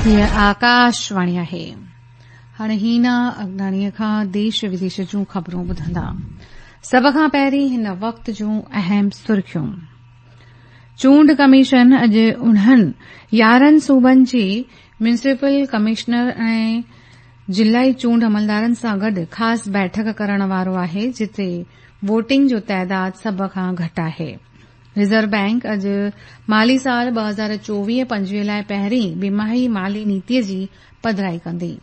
هيء آڪاشواڻي آهي. هاڻي هينا اگناڻيء کان ديش وديش جون خبرون ٻڌندا. سڀ کان پهرين هن وقت جون اهم سرخيون. چونڊ ڪميشن اڄ انهن 11 صوبن جي ميونسپل ڪمشنر ۽ ضلعي چونڊ عملدارن سان گڏ خاص بيٺڪ ڪرڻ وارو آهي جتي ووٽنگ جو تعداد سڀ کان گهٽ آهي. ريزرو بئنڪ اڄ مالي سال 2024-25 لاء پهرين ٻماهي مالي نيتي جي پڌرائي ڪندي.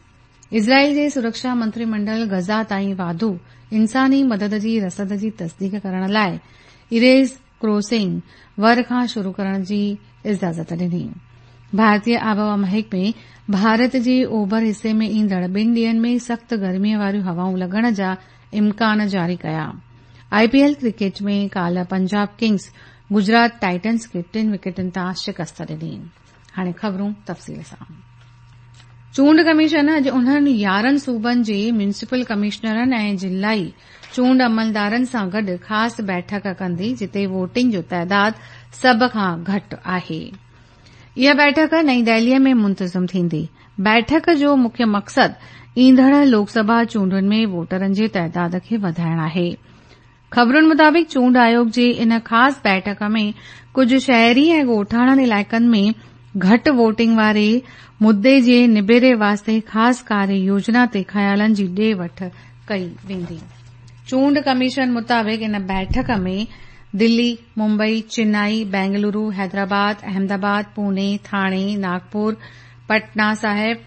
اسرائيل جي سرڪشا منتري منڊل غزه تائين واڌو انساني مدد جي رسد جي تصديق ڪرڻ لاء ايريز ڪراسنگ ور کان شروع ڪرڻ جي اجازت ڏني. ڀارتي آبهوا محڪمي ڀارت جي اوڀر حصي ۾ ايندڙ ٻن ڏينهن ۾ سخت گرمي واريون هوائون لڳڻ جا امڪان جاري ڪيا. آء پي ايل ڪرڪيٽ ۾ ڪالهه پنجاب ڪنگز گجرات ٽائٽنز کي ٽن وڪيٽن تان شڪست ڏني. هاڻي خبرون تفصيل سان. چونڊ ڪميشن اڄ انهن 11 صوبن جي ميونسپل ڪمشنرن ۽ ضلعي چونڊ عملدارن سان گڏ خاص بيٺڪ ڪندي جتي ووٽنگ جو تعداد سڀ کان گهٽ آهي. اها بيٺڪ نئين دهلي ۾ منتظم ٿيندي. بيٺڪ جو مکيه مقصد ايندڙ لوڪ سڀا چونڊن ۾ ووٽرن جي تعداد کي وڌائڻ آهي. خبرن مطابق چونڊ آيوگ جي ان خاص بيٺڪ ۾ ڪجهه شهري ۽ ڳوٺاڻن علائقن ۾ گهٽ ووٽنگ واري مدي جي نبيري واسطي خاص ڪاريه يوجنا تي خيالن جي ڏي وٺ ڪئي ويندي. چونڊ ڪميشن مطابق ان بيٺڪ ۾ دلي، ممبئي، چنائي، بينگلورو، حيدرآباد، احمدآباد، پوني، ٿاڻي، ناگپور، پٽنا صاحب،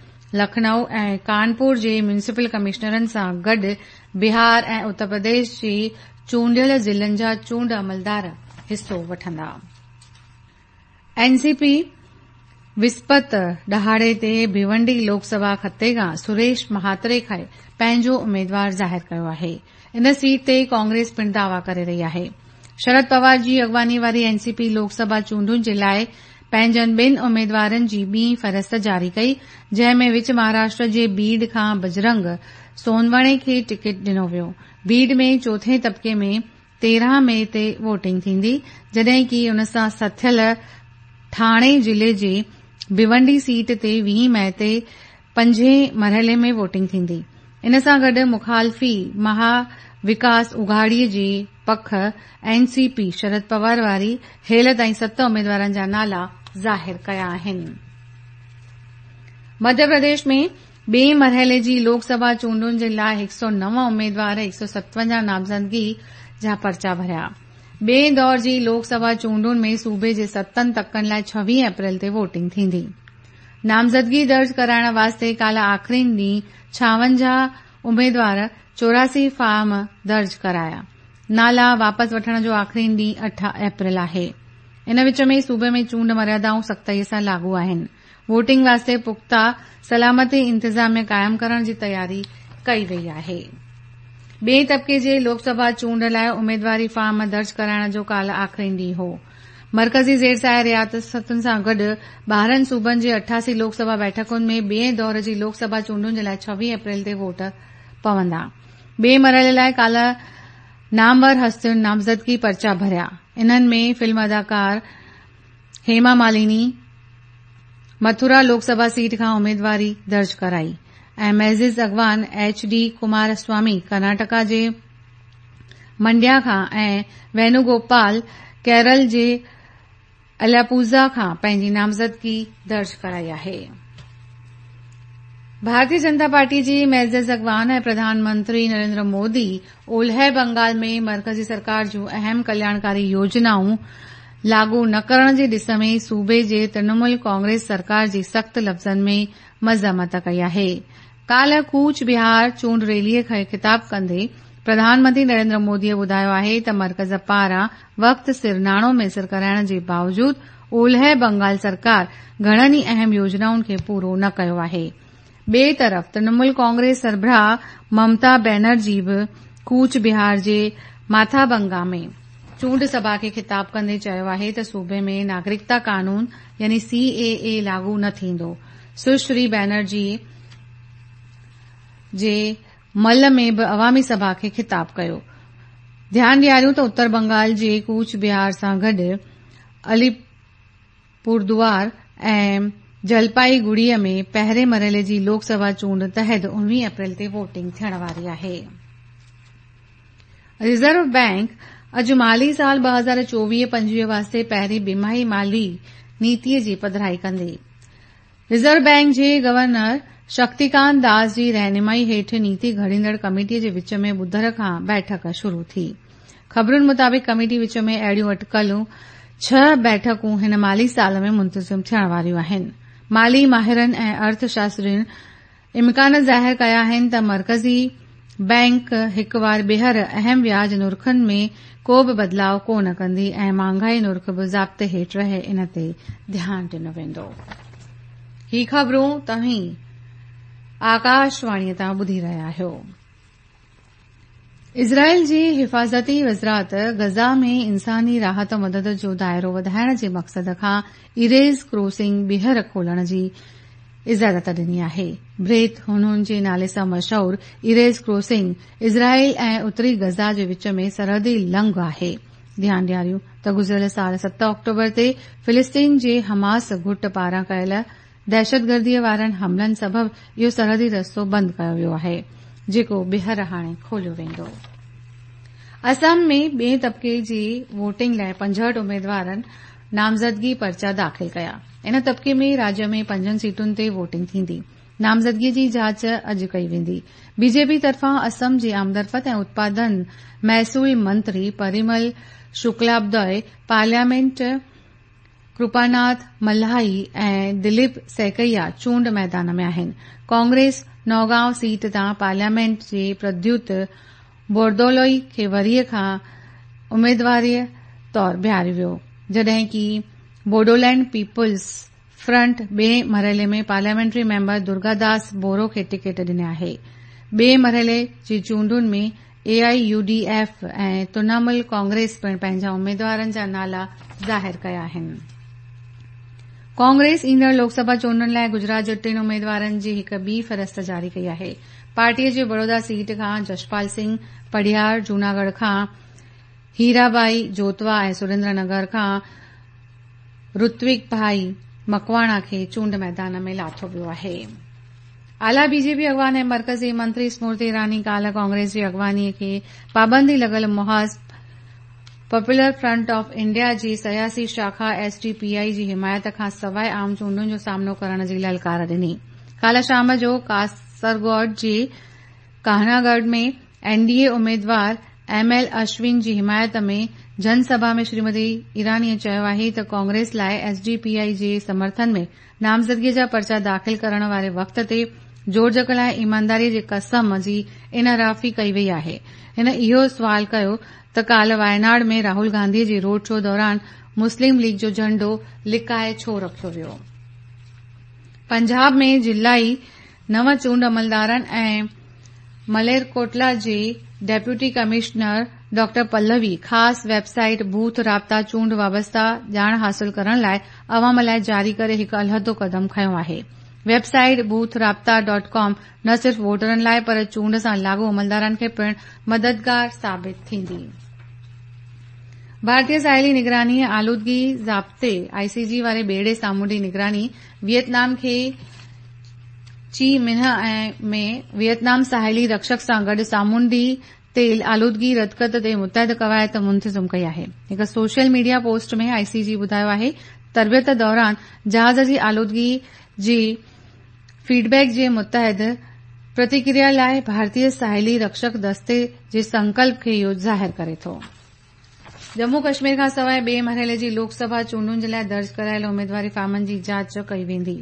لکنئو ۽ ڪانپور جي ميونسپل ڪمشنرن سان گڏ بهار ۽ اتر پرديش جي چونڊيل ضلعن جا چونڊ عملدار حصو وٺندا. اين سي پي وسپت ڏهاڙي تي ڀيونڊي لوڪ سڀا خطي کان سريش مهاتري کي پنهنجو اميدوار ظاهر ڪيو آهي. ان سيٽ تي ڪانگريس پڻ دعويٰ ڪري رهي آهي. شرد پوار جي اڳواڻي واري اين سي پي لوڪ سڀا چونڊن جي لاء پنهنجن ٻن اميدوارن جي ٻي فهرست جاري ڪئي جنهن ۾ وچ مهاراشٽر جي بيڊ کان بجرنگ سونوڻي کي ٽڪيٽ ڏنو ويو. بيڊ ۾ چوٿين طبقي ۾ 13 مئي تي ووٽنگ ٿيندي، جڏهن ڪي ان سان سٿيل ٺاڻي ضلعي جي ڀيونڊي سيٽ تي 20 مئي تي پنجين مرحلي ۾ ووٽنگ ٿيندي. ان سان گڏ مخالفي مها وڪاس اگهاڙي جي پک N C P Sharad Pawar واري هيل تائين ست اميدوارن جا نالا ظاهر ڪيا آهن. مڌيه پرديش ۾ ٻئي مرحلي جي لوڪ سڀا چونڊن جي لاء 109 اميدوار 157 نامزدگي جا پرچا ڀريا. ٻئي دور جي لوڪ سڀا چونڊن ۾ صوبي جي ستن تڪن لاء 26 اپريل تي ووٽنگ ٿيندي. نامزدگي درج ڪرائڻ واسطي ڪالهه آخرين ڏينهن 56 اميدوار 84 فارم درج ڪرايا. نالا واپس وٺڻ جو آخرين ڏينهن 8 اپريل آهي. ان وچ ۾ صوبي ۾ چونڊ مريادائون سختائي سان لاڳو آهن. ووٽنگ واسطي پختا سلامتي انتظام قائم ڪرڻ جي تياري ڪئي وئي آهي. ٻئي طبقي جي لوڪ سڀا چونڊ لاء اميدواري فارم درج ڪرائڻ جو ڪالهه آخرين ڏينهن هو. مرڪزي زير سايه رياستن سان گڏ 12 صوبن جي 88 لوڪ سڀا بيٺڪن ۾ ٻئي دور جي لوڪ سڀا چونڊن جي لاء 26 اپريل تي ووٽ پوندا. ٻئي مرحلي لاء ڪالهه نامور هستين نامزدگي پرچا ڀريا. انهن ۾ فلم اداڪار هيما ماليني مٿورا لوڪ سڀا سيٽ کان اميدواري درج ڪرائي ۽ معزز اڳواڻ ايڇ ڊي ڪمار سوامي ڪرناٽڪا جي منڊيا کان ۽ وينو گوپال ڪيرل جي الاپوزا کان پنهنجي نامزدگي درج ڪرائي آهي. ڀارتي جنتا پارٽي جي معزز اڳواڻ ۽ پرڌان منتري نريندر مودي اولهه بنگال ۾ مرڪزي سرڪار جون اهم ڪلياڻڪاري يوجنائون لاڳو نه ڪرڻ جي ڏس ۾ صوبي جي ترڻمول ڪانگريس سرڪار جي سخت لفظن ۾ مذمت ڪئي آهي. ڪالهه ڪوچ بهار چونڊ ريلي کي خطاب ڪندي پرڌان منتري نريندر مودي ٻڌايو آهي ته مرڪز پاران وقت سر ناڻو ميسر ڪرائڻ جي باوجود اولهه بنگال سرڪار گهڻن ئي اهم يوجنائن کي پورو نه ڪيو آهي. ٻئي طرف ترڻمول ڪانگريس سربراهه ممتا بينرجي به ڪوچ بهار جي ماٿابنگا ۾ چونڊ سڀا کي خطاب ڪندي چيو آهي ته صوبي ۾ ناگرڪتا قانون يعني سي اي اي لاڳو نه ٿيندو. سشري بينرجي جي مل ۾ به عوامي سڀا کي خطاب ڪيو. ڌيان ڏياريون ته اتر بنگال جي ڪوچ بهار سان گڏ علي پوردوار ۽ جلپائيگڙي ۾ پهرين مرحلي جي لوڪ سڀا چونڊ تحت 19 اپريل تي ووٽنگ ٿيڻ واري آهي. ريزرو بئنڪ اڄ مالي سال 2024-25 واسطي پهرين ٻماهي مالي نيتي جي پڌرائي ڪندي. ريزرو بئنڪ جي گورنر شڪتيڪانت داس جي رهنمائي هيٺ نيتي گهڙيندڙ ڪميٽي جي وچ ۾ ٻڌر کان بيٺڪ شروع ٿي. خبرن مطابق ڪميٽي وچ ۾ اهڙيون اٽڪل ڇهه بيٺڪون هن مالي سال ۾ منتظم ٿيڻ واريون آهن. مالي ماهرن ۽ ارٿ شاسترين امڪان ظاهر ڪيا آهن ته مرڪزي بئنڪ هڪ وار ٻيهر اهم وياج نرخن ۾ ڪو به بدلاء ڪو نه ڪندي ۽ مهانگائي نرخ به ضابطي هيٺ رهي ان تي ڌيان ڏنو ويندو. هي خبرون توهين آڪاشواڻي تان ٻڌي رهيا آهيو. اسرائيل جي حفاظتي وزارت غزه ۾ انساني راحت مدد جو دائرو وڌائڻ جي مقصد کان ايريز ڪراسنگ ٻيهر کولڻ جي اجازت ڏني آهي. بريت حنون جي نالي سان مشهور ايريز ڪراسنگ اسرائيل ۽ اتري غزه جي وچ ۾ سرحدي لنگهه آهي. ڌيان ڏياريون ته گذريل سال 7 آڪٽوبر تي فلسطين جي حماس گٽ پاران ڪيل دهشتگردي وارن حملن سبب اهو سرحدي رستو بند ڪيو ويو آهي، جيڪو ٻيهر هاڻي کوليو ويندو. اسم ۾ ٻئين طبقي جي ووٽنگ لاء 65 اميدوارن نامزدگي پرچا داخل ڪيا. ان طبقي ۾ راجيه ۾ پنجن سيٽن تي ووٽنگ ٿيندي. نامزدگي جي جاچ اڄ ڪئي ويندي. بي جي پي طرفان اسم جي آمدرفت ۽ اتپادن محصول منتري پريمل شڪلابدوء، پارليامينٽ ڪرپاناٿ ملهائي ۽ دليپ سيڪيا چونڊ ميدان ۾ آهن. ڪانگريس نوگائون سيٽ تان پارليامينٽ جي پرديوت بوردولوئي کي وري کان اميدوار طور بيهاريو ويو، جڏهن ڪي بوڊولينڊ پيپلز فرنٽ ٻئين مرحلي ۾ پارليامينٽري ميمبر درگا داس بورو کي ٽڪيٽ ڏني آهي. ٻئين مرحلي جي چونڊن ۾ A I U D F ۽ Trinamool Congress پڻ پنهنجا اميدوارن جا نالا ظاهر ڪيا آهن. ڪانگريس ايندڙ لوڪ سڀا چونڊن لاء گجرات جي ٽن اميدوارن جي هڪ ٻي فهرست جاري ڪئي آهي. پارٽي جي بڙودا سيٽ کان جشپال سنگهه پڙهيار، جوناڳڙهه کان هيرابائي جوتوا ۽ سريندر نگر کان رتوڪ ڀائي مڪواڻا کي چونڊ ميدان ۾ لاٿو ويو آهي. اعليٰ بي جي پي اڳواڻ ۽ مرڪزي منتري سمرتي ايراني ڪالهه ڪانگريس جي اڳواڻي کي پابندي لڳل محاذ پاپولر فرنٽ آف انڊيا جي سياسي شاخا ايس ڊي پي آء جي حمايت کان سواء عام چونڊن جو سامنو ڪرڻ جي للڪار ڏني. ڪالهه شام جو ڪاسرگوڊ جي ڪاهناگڙهه ۾ اين ڊي اي اميدوار ايم ايل اشون جي حمايت ۾ جن سڀا ۾ شريمتي ايراني چيو آهي ته ڪانگريس لاء ايس ڊي پي آء جي سمرٿن ۾ نامزدگي جا پرچا داخل ڪرڻ واري وقت تي جوڙجڪ لاء ايمانداري جي قسم جي انحرافي ڪئي وئي آهي. هن اهو سوال ڪيو ته ڪالهه وايناڊ ۾ راهول گانڌي جي روڊ شو دوران مسلم ليگ جو جهنڊو لڪائي ڇو رکيو ويو. پنجاب ۾ ضلعي نو چونڊ عملدارن ۽ مليرڪوٽلا جي ڊپٽي ڪمشنر ڊاڪٽر پلوي خاص ويب سائيٽ بوٿ رابطا چونڊ وابسته ڄاڻ حاصل ڪرڻ لاء عوام لاء جاري ڪري هڪ علحدو قدم کنيو آهي. ويب سائيٽ بوٿ رابطا ڊاٽ ڪام نه صرف ووٽرن لاء پر چونڊ سان لاڳو عملدارن کي پڻ مددگار ثابت ٿيندي. ڀارتي ساحلي نگراني آلودگي ضابطي آء سي جي واري ٻيڙي سامونڊي نگراني ويٽنام کي چي منهه ۾ ويٽنام ساحلي رڪشڪ سان گڏ سامونڊي تيل آلودگي ردڪت تي متحد قواعد منتظم ڪئي آهي. هڪ سوشل ميڊيا پوسٽ ۾ آء سي جي ٻڌايو آهي تربيت دوران جهاز جي آلودگي جي فيڊ بيڪ جي متحد پرتڪريا لاء ڀارتي ساحلي رڪشڪ دستي جي سنڪلپ کي اهو ظاهر ڪري ٿو. ڄمون ڪشمير کانسواء ٻئي مرحلي جي لوڪ سڀا چونڊن جي لاء درج ڪرايل اميدواري فارمن جي جاچ ڪئي ويندي،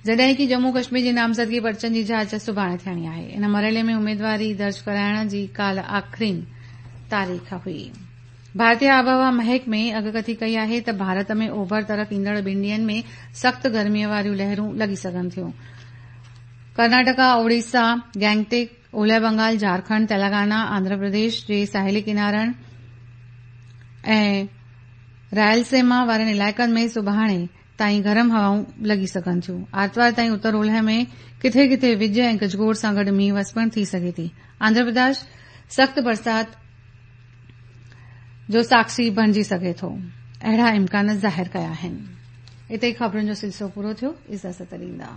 جڏهن ڪي ڄمون ڪشمير جي نامزدگي پرچن جي جاچ سڀاڻي ٿيڻي آهي. ان مرحلي ۾ اميدواري درج ڪرائڻ جي ڪالهه آخرين تاريخ هئي. ڀارتي آبهوا محڪمي اڳڪٿي ڪئي آهي ته ڀارت ۾ اوڀر طرف ايندڙ ٻن ڏينهن ۾ سخت گرمي واريون لهرون لڳي سگهن ٿيون. ڪرناٽڪا، اوڙيسا، گينگٽڪ، اولهه بنگال، جهارکنڊ، تيلنگانا، آنڌرا پرديش جي ساحلي ڪنارن ۽ رائلسيما وارن علائقن ۾ سڀاڻي تائين گرم هوائون لڳي سگهن ٿيون. آرتوار تائين اتر اولهه ۾ ڪٿي ڪٿي وڄ ۽ گجگوڙ سان گڏ مينهن وس پڻ ٿي سگهي ٿي. آنڌرا پرديش سخت برسات جو ساکشي بڻجي سگهي ٿو. اهڙا امڪان ظاهر ڪيا آهن. اتي ئي خبرن جو سلسلو پورو ٿيو. اجازت ڏيندا.